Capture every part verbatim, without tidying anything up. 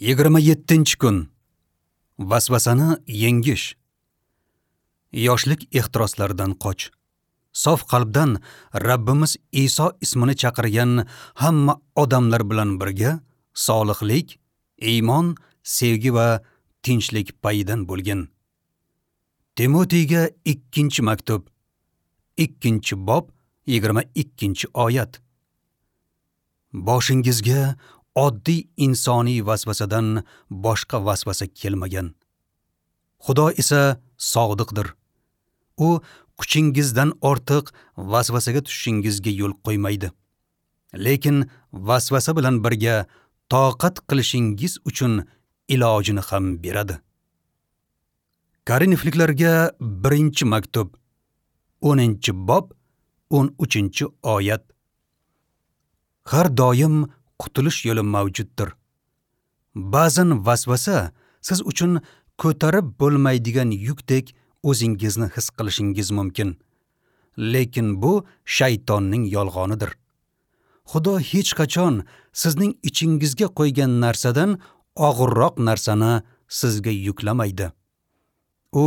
Yigirma yettinchi kun. Vasvasani yengish. Yoshlik ehtiroslaridan qoch. Sof qalbdan Rabbimiz Iso ismini chaqirgan hamma odamlar bilan birga solihlik, iymon, sevgi va tinchlik payidan bo'lgin. Timotiyga ikkinchi maktub, ikkinchi bob, yigirma ikkinchi oyat. Boshingizga oddiy insoniy vasvasadan boshqa vasvasa kelmagan. Xudo esa sodiqdir. U kuchingizdan ortiq vasvasaga tushishingizga yo'l qo'ymaydi. Lekin vasvasa bilan birga toqat qilishingiz uchun ilojini ham beradi. Korinfliklarga birinchi maktub, o'ninchi bob, o'n uchinchi oyat. Har doim qutulish yo'li mavjuddir. Ba'zan vasvasa siz uchun ko'tarib bo'lmaydigan yukdek o'zingizni his qilishingiz mumkin. Lekin bu shaytonning yolg'onidir. Xudo hech qachon sizning ichingizga qo'ygan narsadan og'irroq narsani sizga yuklamaydi. U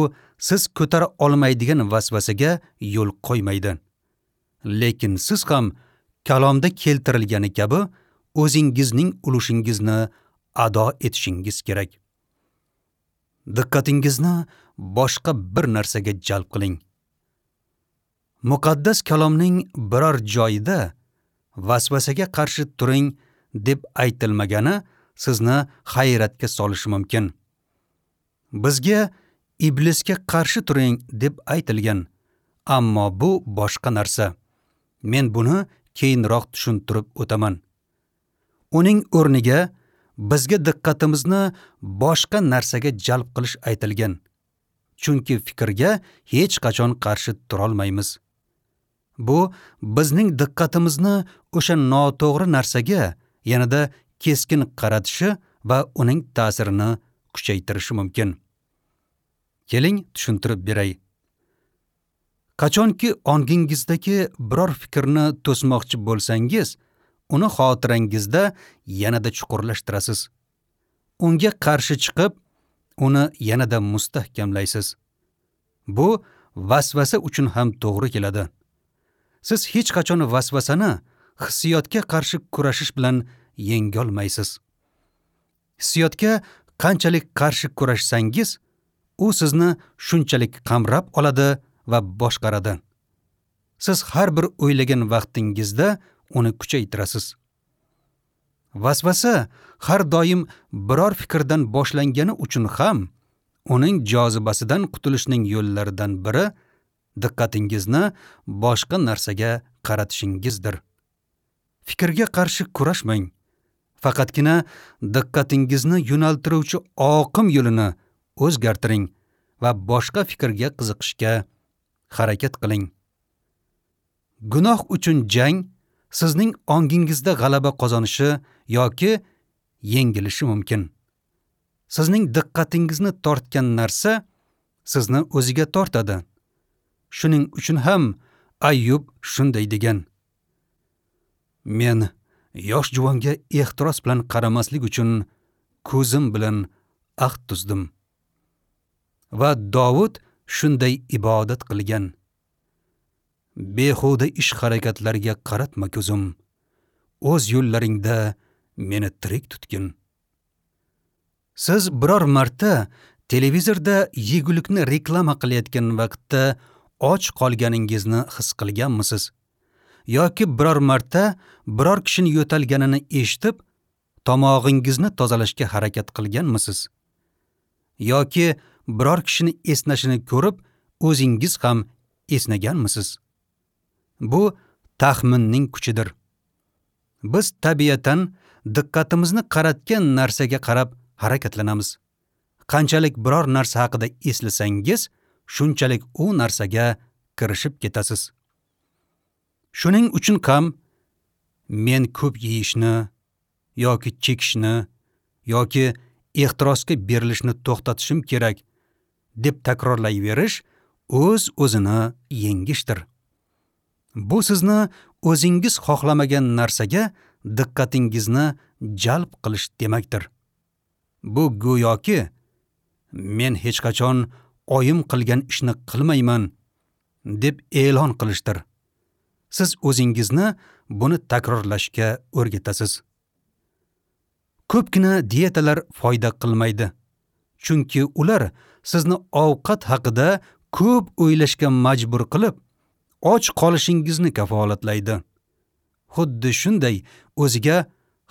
siz ko'tara olmaydigan vasvasaga yo'l qo'ymaydi. Lekin siz ham kalomda keltirilgani kabi o'zingizning ulushingizni ado etishingiz kerak. Diqqatingizni boshqa bir narsaga jalb qiling. Muqaddas kalomning biror joyida vasvasaga qarshi turing deb aytilmagani sizni hayratga solishi mumkin. Bizga iblisga qarshi turing deb aytilgan, ammo bu boshqa narsa. Men buni keyinroq tushuntirib o'taman. Uning o'rniga bizga diqqatimizni boshqa narsaga jalb qilish aytilgan. Chunki fikrga hech qachon qarshi turolmaymiz. Bu bizning diqqatimizni o'sha noto'g'ri narsaga yanada keskin qaratishi va uning ta'sirini kuchaytirishi mumkin. Keling, tushuntirib beray. Qachonki ongingizdagi biror fikrni to'smoqchi bo'lsangiz, uni xotirangizda yanada chuqurlashtirasiz. Unga qarshi chiqib, uni yanada mustahkamlaysiz. Bu vasvasa uchun ham to'g'ri keladi. Siz hech qachon vasvasani hissiyotga qarshi kurashish bilan yengolmaysiz. Hissiyotga qanchalik qarshi kurashsangiz, u sizni shunchalik qamrab oladi va boshqaradi. Siz har bir o'ylagan vaqtingizda uni kuchaytirasiz. Vasvasa har doim biror fikrdan boshlangani uchun ham uning jozibasidan qutulishning yo'llaridan biri diqqatingizni boshqa narsaga qaratishingizdir. Fikrga qarshi kurashmang. Faqatgina diqqatingizni yo'naltiruvchi oqim yo'lini o'zgartiring va boshqa fikrga qiziqishga harakat qiling. Gunoh uchun jang sizning ongingizda g'alaba qozonishi yoki yengilishi mumkin. Sizning diqqatingizni tortgan narsa sizni o'ziga tortadi. Shuning uchun ham Ayyub shunday degan: Men yosh juvonga ehtiros bilan qaramaslik uchun ko'zim bilan ahd tuzdim. Va Dovud shunday ibodat qilgan: Behuda ish harakatlarga qaratma ko'zim, o'z yo'llaringda meni tirik tutgin. Siz biror marta televizorda yegulikni reklama qilayotgan vaqtda och qolganingizni his qilganmisiz? Yoki biror marta biror kishini yo'talganini eshitib, tomog'ingizni tozalashga harakat qilganmisiz? Yoki biror kishini esnashini ko'rib, o'zingiz ham esnaganmisiz? Bu taxminning kuchidir. Biz tabiatan diqqatimizni qaratgan narsaga qarab harakatlanamiz. Qanchalik biror narsa haqida eslasangiz, shunchalik u narsaga kirishib ketasiz. Shuning uchun ham men ko'p yeyishni yoki chekishni yoki ehtirosga berilishni to'xtatishim kerak deb takrorlayverish o'z-o'zini yengishdir. Bu sizni o'zingiz xohlamagan narsaga diqqatingizni jalb qilish demakdir. Bu go'yoki men hech qachon oyim qilgan ishni qilmayman deb e'lon qilishdir. Siz o'zingizni buni takrorlashga o'rgatasiz. Ko'pgina dietalar foyda qilmaydi, chunki ular sizni ovqat haqida ko'p o'ylashga majbur qilib, och qolishingizni kafolatlaydi. Xuddi shunday o'ziga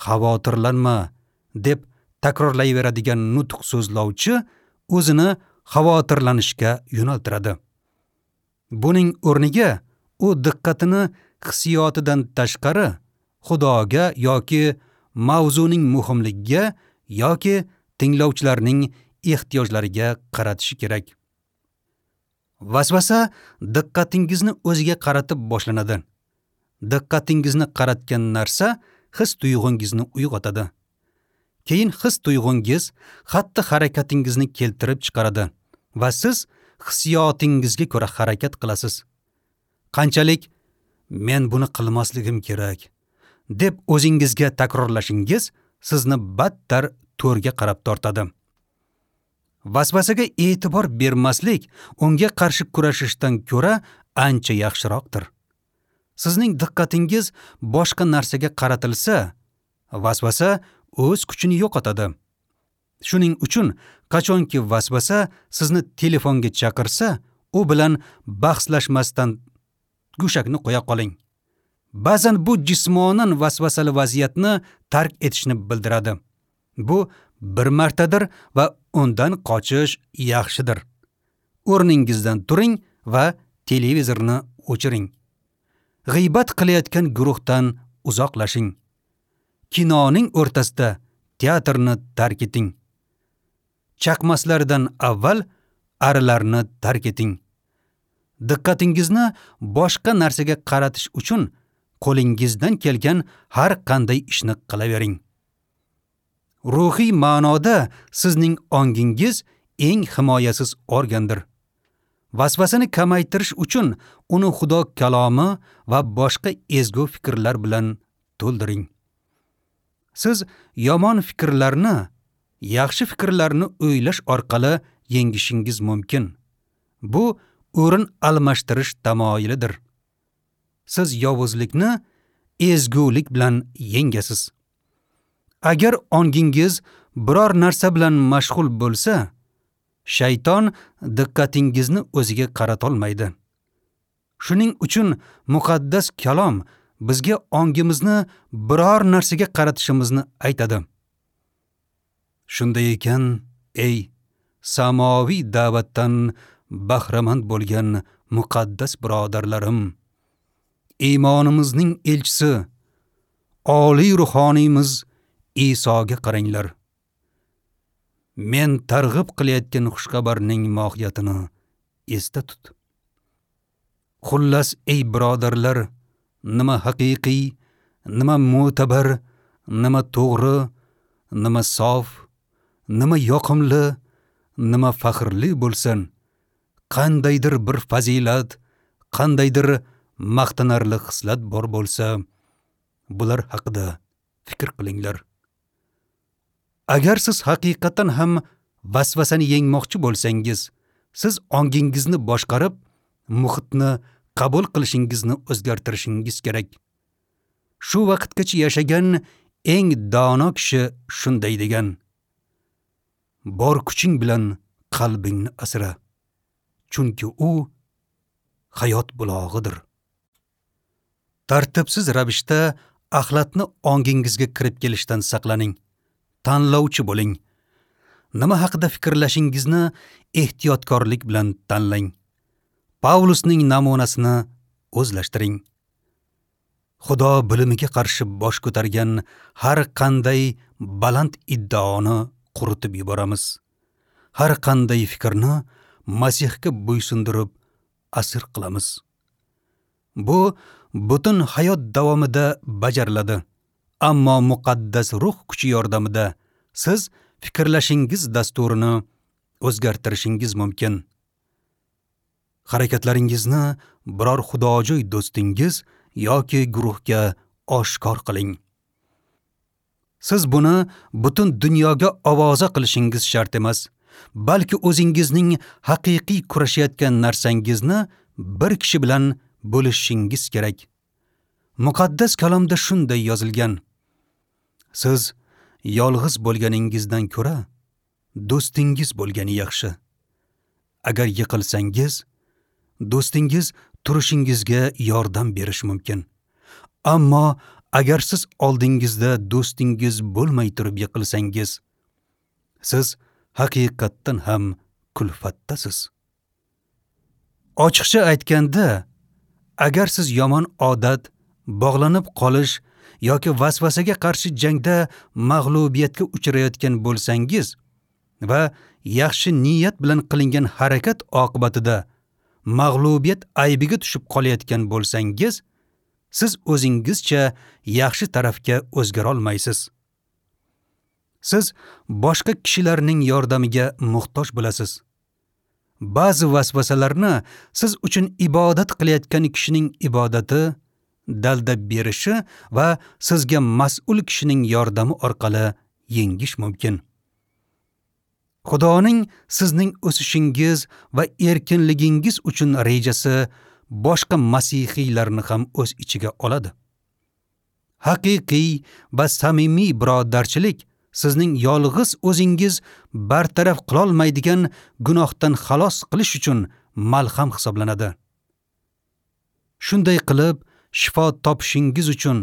xavotirlanma deb takrorlayveradigan nutq so'zlovchi o'zini xavotirlanishga yo'naltiradi. Buning o'rniga u diqqatini hissiyotidan tashqari Xudoga yoki mavzuning muhimligiga yoki tinglovchilarning ehtiyojlariga qaratishi kerak. Vasvasa diqqatingizni o'ziga qaratib boshlanadi. Diqqatingizni qaratgan narsa his tuyg'ungizni uyg'otadi. Keyin his tuyg'ungiz xatti harakatingizni keltirib chiqaradi va siz hissiyotingizga ko'ra harakat qilasiz. Qanchalik men buni qilmasligim kerak deb o'zingizga takrorlashingiz sizni battar to'rga qarab tortadi. Vasvasaga e'tibor bermaslik unga qarshi kurashishdan ko'ra ancha yaxshiroqdir. Sizning diqqatingiz boshqa narsaga qaratilsa, vasvasa o'z kuchini yo'qotadi. Shuning uchun qachonki vasvasa sizni telefonga chaqirsa, u bilan bahslashmasdan go'shakni qo'ya qoling. Ba'zan bu jismonan vasvasali vaziyatni tark etishni bildiradi. Bu bir martadir va undan qochish yaxshidir. O'rningizdan turing va televizorni o'chiring. G'iybat qilayotgan guruhdan uzoqlashing. Kinoning o'rtasida teatrni tark eting. Chaqmaslardan avval arilarni tark eting. Diqqatingizni boshqa narsaga qaratish uchun qo'lingizdan kelgan har qanday ishni qilavering. Ruhiy ma'noda sizning ongingiz eng himoyasiz organdir. Vasvasani kamaytirish uchun uni Xudo kalomi va boshqa ezgu fikrlar bilan to'ldiring. Siz yomon fikrlarni yaxshi fikrlarni o'ylash orqali yengishingiz mumkin. Bu o'rin almashtirish tamoyilidir. Siz yovuzlikni ezgulik bilan yengasiz. Agar ongingiz biror narsa bilan mashg'ul bo'lsa, shayton diqqatingizni o'ziga qaratolmaydi. Shuning uchun muqaddas kalom bizga ongimizni biror narsaga qaratishimizni aytadi. Shunday ekan, ey samoviy da'vatdan bahramand bo'lgan muqaddas birodarlarim, iymonimizning elchisi, oliy ruhoniymiz Isoga qaranglar. Men targ'ib qilayotgan xushxabarning mohiyatini esda tut. Xullas, ey birodarlar, nima haqiqiy, nima mo'tabar, nima to'g'ri, nima sof, nima yoqimli, nima faxrli bo'lsin, qandaydir bir fazilat, qandaydir maqtanarli xislat bor bo'lsa, bular haqida fikr qilinglar. Agar siz haqiqatan ham vasvasani yengmoqchi bo'lsangiz, siz ongingizni boshqarib, muhitni qabul qilishingizni o'zgartirishingiz kerak. Shu vaqtgacha yashagan eng dono kishi shunday degan: bor kuching bilan qalbingni asra, chunki u hayot bulog'idir. Tartibsiz ravishda axlatni ongingizga kirib kelishdan saqlaning. Tanlovchi bo'ling. Nima haqida fikrlashingizni ehtiyotkorlik bilan tanlang. Pavlusning namunasini o'zlashtiring. Xudo bilimiga qarshi bosh ko'targan har qanday baland iddaoni quritib yuboramiz. Har qanday fikrni Masihga bo'ysundirib asir qilamiz. Bu butun hayot davomida bajariladi. Ammo muqaddas ruh kuchi yordamida siz fikrlashingiz dasturini o'zgartirishingiz mumkin. Harakatlaringizni biror xudojo'y do'stingiz yoki guruhga oshkor qiling. Siz buni butun dunyoga ovoza qilishingiz shart emas, balki o'zingizning haqiqiy kurashayotgan narsangizni bir kishi bilan bo'lishingiz kerak. Muqaddas kalomda shunday yozilgan: Siz yolg'iz bo'lganingizdan ko'ra do'stingiz bo'lgani yaxshi. Agar yiqilsangiz, do'stingiz turishingizga yordam berishi mumkin. Ammo agar siz oldingizda do'stingiz bo'lmay turib yiqilsangiz, siz haqiqatdan ham kulfatdasiz. Ochiqcha aytganda, agar siz yomon odat, bog'lanib qolish yoki vasvasaga qarshi jangda mag'lubiyatga uchrayotgan bo'lsangiz va yaxshi niyat bilan qilingan harakat oqibatida mag'lubiyat aybiga tushib qolayotgan bo'lsangiz, siz o'zingizcha yaxshi tarafga o'zgara olmaysiz. Siz boshqa kishilarning yordamiga muhtoj bo'lasiz. Ba'zi vasvasalarni siz uchun ibodat qilayotgan kishining ibodati, dalda berishi va sizga mas'ul kishining yordami orqali yengish mumkin. Xudoning sizning o'sishingiz va erkinligingiz uchun rejasi boshqa masihiylarni ham o'z ichiga oladi. Haqiqiy va samimiy birodarchilik sizning yolg'iz o'zingiz bartaraf qilolmaydigan gunohdan xalos qilish uchun malham hisoblanadi. Shunday qilib, shifo topishingiz uchun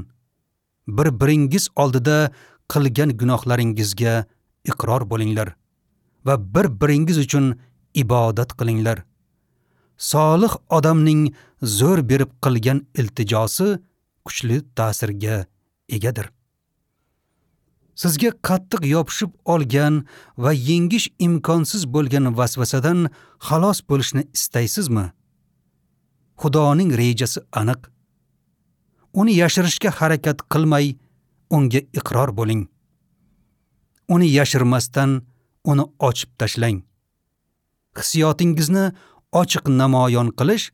bir-biringiz oldida qilgan gunohlaringizga iqror bo'linglar va bir-biringiz uchun ibodat qilinglar. Solih odamning zo'r berib qilgan iltijosi kuchli ta'sirga egadir. Sizga qattiq yopishib olgan va yengish imkonsiz bo'lgan vasvasadan xalos bo'lishni istaysizmi? Xudoning rejasi aniq. Uni yashirishga harakat qilmay, unga iqror bo'ling. Uni yashirmasdan uni ochib tashlang. Hissiyotingizni ochiq namoyon qilish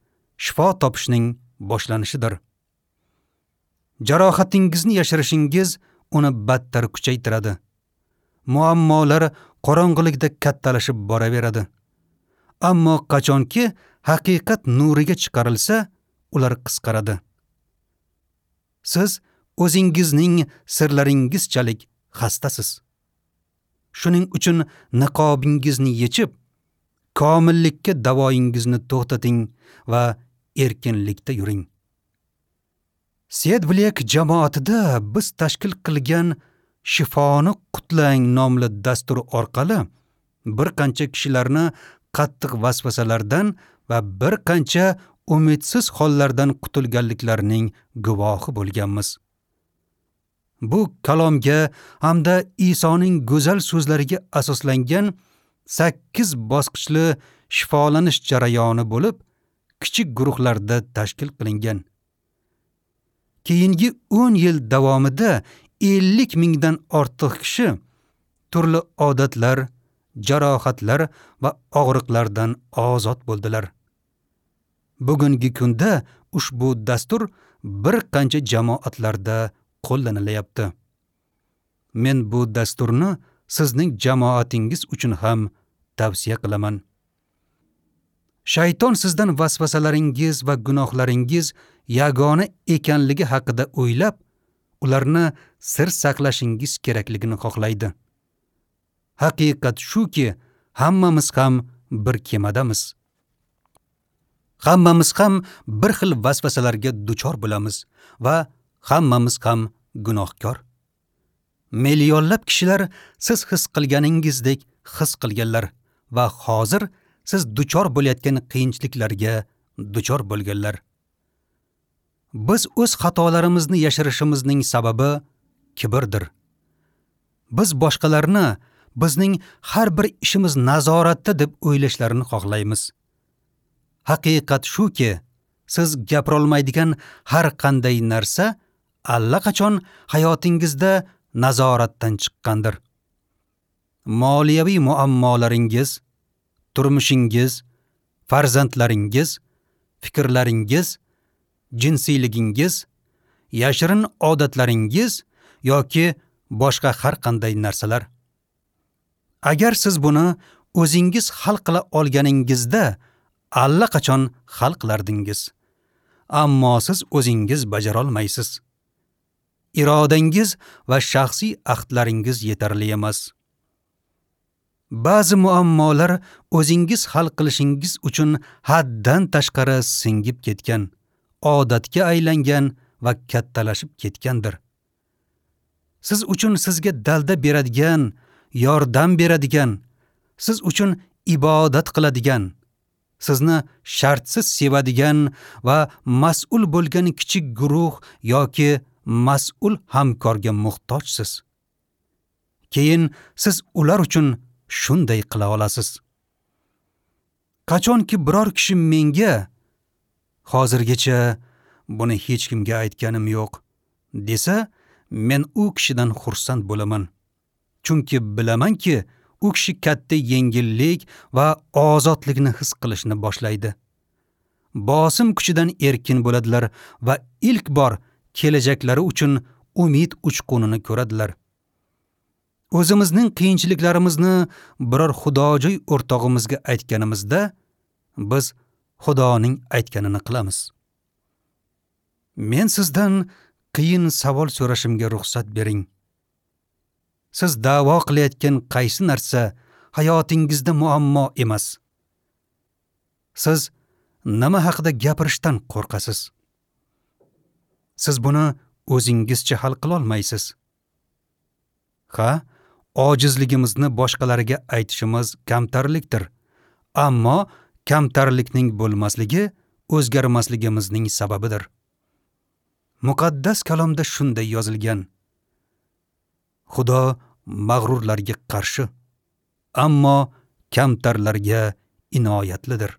shifo topishning boshlanishidir. Jarohatingizni yashirishingiz uni battar kuchaytiradi. Muammolar qorong'ilikda kattalashib boraveradi. Ammo qachonki haqiqat nuriga chiqarilsa, ular qisqaradi. Siz o'zingizning sirlaringizchalik xastasiz. Shuning uchun niqobingizni yechib, komillikka davoyingizni to'xtating va erkinlikda yuring. Sedblek jamoatida biz tashkil qilgan Shifoni qutlang nomli dastur orqali bir qancha kishilarni qattiq vasvasalardan va bir qancha umidsiz hollardan qutulganliklarining guvohi bo'lganmiz. Bu kalomga hamda Isoning go'zal so'zlariga asoslangan sakkiz bosqichli shifolanish jarayoni bo'lib, kichik guruhlarda tashkil qilingan. Keyingi o'n yil davomida ellik mingdan ortiq kishi turli odatlar, jarohatlar va og'riqlardan ozod bo'ldilar. Bugungi kunda ushbu dastur bir qancha jamoatlarda qo'llanilyapti. Men bu dasturni sizning jamoatingiz uchun ham tavsiya qilaman. Shayton sizdan vasvasalaringiz va gunohlaringiz yagona ekanligi haqida o'ylab, ularni sir saqlashingiz kerakligini xohlaydi. Haqiqat shuki, hammamiz ham bir kemadamiz. Hammamiz ham bir xil vasvasalarga duchor bo'lamiz va hammamiz ham gunohkor. Millionlab kishilar siz his qilganingizdek his qilganlar va hozir siz duchor bo'layotgan qiyinchiliklarga duchor bo'lganlar. Biz o'z xatolarimizni yashirishimizning sababi kibrdir. Biz boshqalarni bizning har bir ishimiz nazoratda deb o'ylashlarini xohlaymiz. Haqiqat shuki, siz gapirolmaydigan har qanday narsa allaqachon hayotingizda nazoratdan chiqqandir. Moliyaviy muammolaringiz, turmushingiz, farzandlaringiz, fikrlaringiz, jinsiyligingiz, yashirin odatlaringiz yoki boshqa har qanday narsalar. Agar siz buni o'zingiz hal qila olganingizda, allaqachon hal qilardingiz. Ammo siz o'zingiz bajara olmaysiz. Irodangiz va shaxsiy ahdlaringiz yetarli emas. Ba'zi muammolar o'zingiz hal qilishingiz uchun haddan tashqari singib ketgan, odatga aylangan va kattalashib ketgandir. Siz uchun sizga dalda beradigan, yordam beradigan, siz uchun ibodat qiladigan, sizni shartsiz sevadigan va mas'ul bo'lgan kichik guruh yoki mas'ul hamkorga muhtojsiz. Keyin siz ular uchun shunday qila olasiz. Qachonki biror kishi menga hozirgacha buni hech kimga aytganim yo'q desa, men u kishidan xursand bo'laman. Chunki bilamanki, u kishi katta yengillik va ozodlikni his qilishni boshlaydi. Bosim kuchidan erkin bo'ladilar va ilk bor kelajaklari uchun umid uchqunini ko'radilar. O'zimizning qiyinchiliklarimizni biror xudojo'y o'rtog'imizga aytganimizda, biz Xudoning aytganini qilamiz. Men sizdan qiyin savol so'rashimga ruxsat bering. Siz da'vo qilayotgan qaysi narsa hayotingizda muammo emas? Siz nima haqida gapirishdan qo'rqasiz? Siz buni o'zingizcha hal qila olmaysiz. Ha, ojizligimizni boshqalarga aytishimiz kamtarlikdir. Ammo kamtarlikning bo'lmasligi o'zgarmasligimizning sababidir. Muqaddas kalomda shunday yozilgan: Xudo mag'rurlarga qarshi, ammo kamtarlarga inoyatlidir.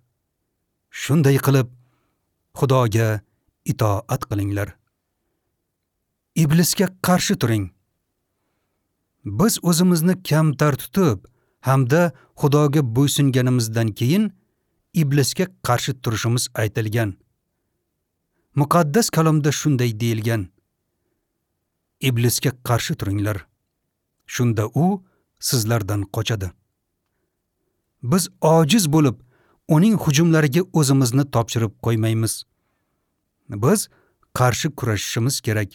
Shunday qilib, Xudoga itoat qilinglar. Iblisga qarshi turing. Biz o'zimizni kamtar tutib hamda Xudoga bo'ysunganimizdan keyin iblisga qarshi turishimiz aytilgan. Muqaddas kalomda shunday deyilgan: Iblisga qarshi turinglar, shunda u sizlardan qochadi. Biz ojiz bo'lib, uning hujumlariga o'zimizni topshirib qo'ymaymiz. Biz qarshi kurashishimiz kerak.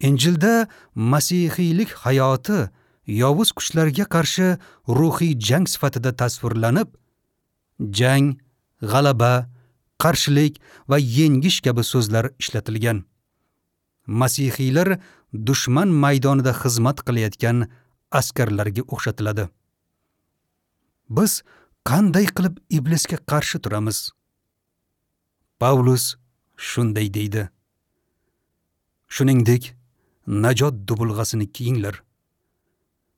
Injilda masihiylik hayoti yovuz kuchlarga qarshi ruhiy jang sifatida tasvirlanib, jang, g'alaba, qarshilik va yengish kabi so'zlar ishlatilgan. Masihiylar dushman maydonida xizmat qilayotgan askarlarga o'xshatiladi. Biz qanday qilib iblisga qarshi turamiz? Pavlus shunday deydi: Shuningdek, najot dubulg'asini kiyinglar.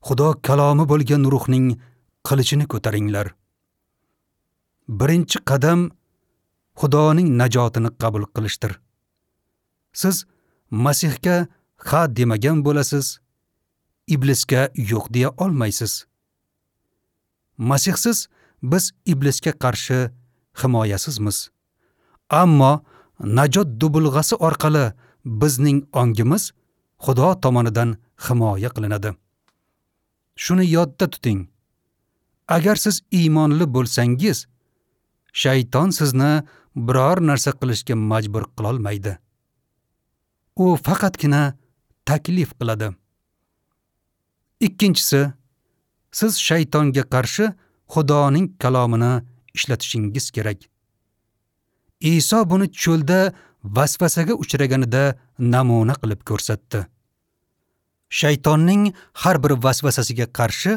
Xudo kalomi bo'lgan ruhning qilichini ko'taringlar. Birinchi qadam Xudoning najotini qabul qilishdir. Siz Masihga ha demagan bo'lasiz, iblisga yo'q deya olmaysiz. Masihsiz biz iblisga qarshi himoyasizmiz. Ammo najot dubulg'asi orqali bizning ongimiz Xudo tomonidan himoya qilinadi. Shuni yodda tuting. Agar siz iymonli bo'lsangiz, shayton sizni biror narsa qilishga majbur qila olmaydi. U faqatgina taklif qiladi. Ikkinchisi, siz shaytonga qarshi Xudoning kalomini ishlatishingiz kerak. Iso buni cho'lda vasvasaga uchraganida namuna qilib ko'rsatdi. Shaytonning har bir vasvasasiga qarshi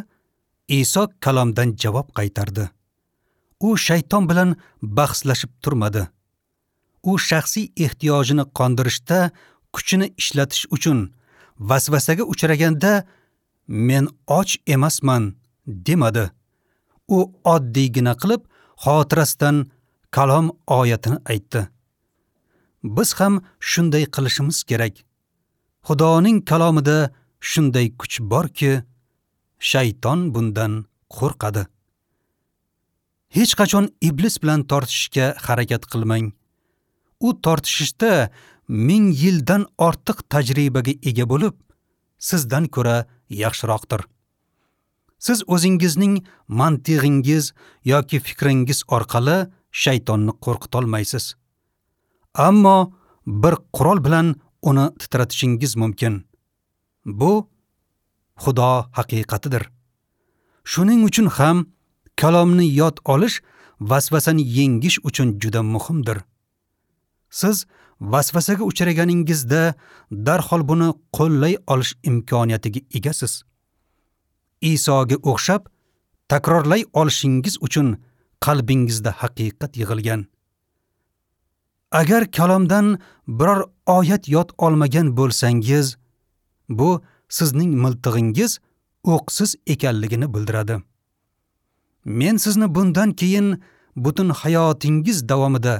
Iso kalomdan javob qaytardi. U shayton bilan bahslashib turmadi. U shaxsiy ehtiyojini qondirishda kuchini ishlatish uchun vasvasaga uchraganda men och emasman demadi. U oddiygina qilib xotirasidan kalom oyatini aytdi. Biz ham shunday qilishimiz kerak. Xudoning kalomida shunday kuch borki, shayton bundan qo'rqadi. Hech qachon iblis bilan tortishishga harakat qilmang. U tortishishda ming yildan ortiq tajribaga ega bo'lib, sizdan ko'ra yaxshiroqdir. Siz o'zingizning mantig'ingiz yoki fikringiz orqali shaytonni qo'rqitolmaysiz. Ammo bir qurol bilan uni titratishingiz mumkin. Bu Xudo haqiqatidir. Shuning uchun ham kalomni yod olish vasvasani yengish uchun juda muhimdir. Siz vasvasaga uchraganingizda darhol buni qo'llay olish imkoniyatiga egasiz. Isoga o'xshab takrorlay olishingiz uchun qalbingizda haqiqat yig'ilgan. Agar kalomdan biror oyat yod olmagan bo'lsangiz, bu sizning miltig'ingiz o'qsiz ekanligini bildiradi. Men sizni bundan keyin butun hayotingiz davomida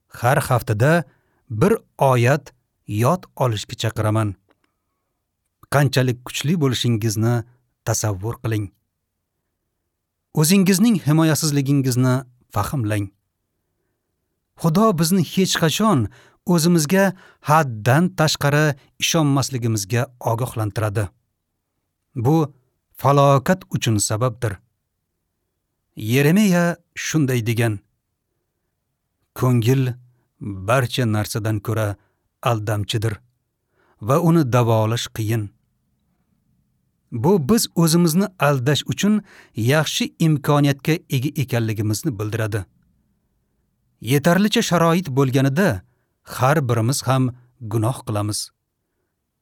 har haftada bir oyat yod olishga chaqiraman. Qanchalik kuchli bo'lishingizni tasavvur qiling. O'zingizning himoyasizligingizni fahmlang. Xudo bizni hech qachon o'zimizga haddan tashqari ishonmasligimizga ogohlantiradi. Bu falokat uchun sababdir. Yeremiya shunday degan: Ko'ngil barcha narsadan ko'ra aldamchidir va uni davolash qiyin. Bu biz o'zimizni aldash uchun yaxshi imkoniyatga ega ekanligimizni bildiradi. Yetarlicha sharoit bo'lganida har birimiz ham gunoh qilamiz.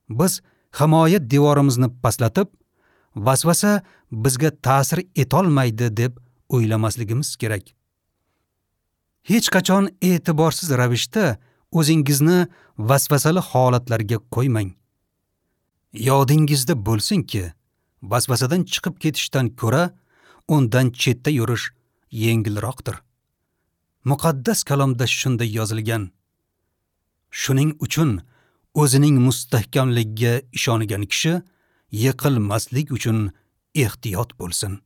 Biz himoya devorimizni pastlatib, vasvasa bizga ta'sir etolmaydi deb o'ylamasligimiz kerak. Hech qachon e'tiborsiz ravishda o'zingizni vasvasali holatlarga qo'ymang. Yodingizda bo'lsinki, vasvasadan chiqib ketishdan ko'ra undan chetda yurish yengilroqdir. Muqaddas kalomda shunday yozilgan: Shuning uchun o'zining mustahkamligiga ishongan kishi yiqilmaslik uchun ehtiyot bo'lsin.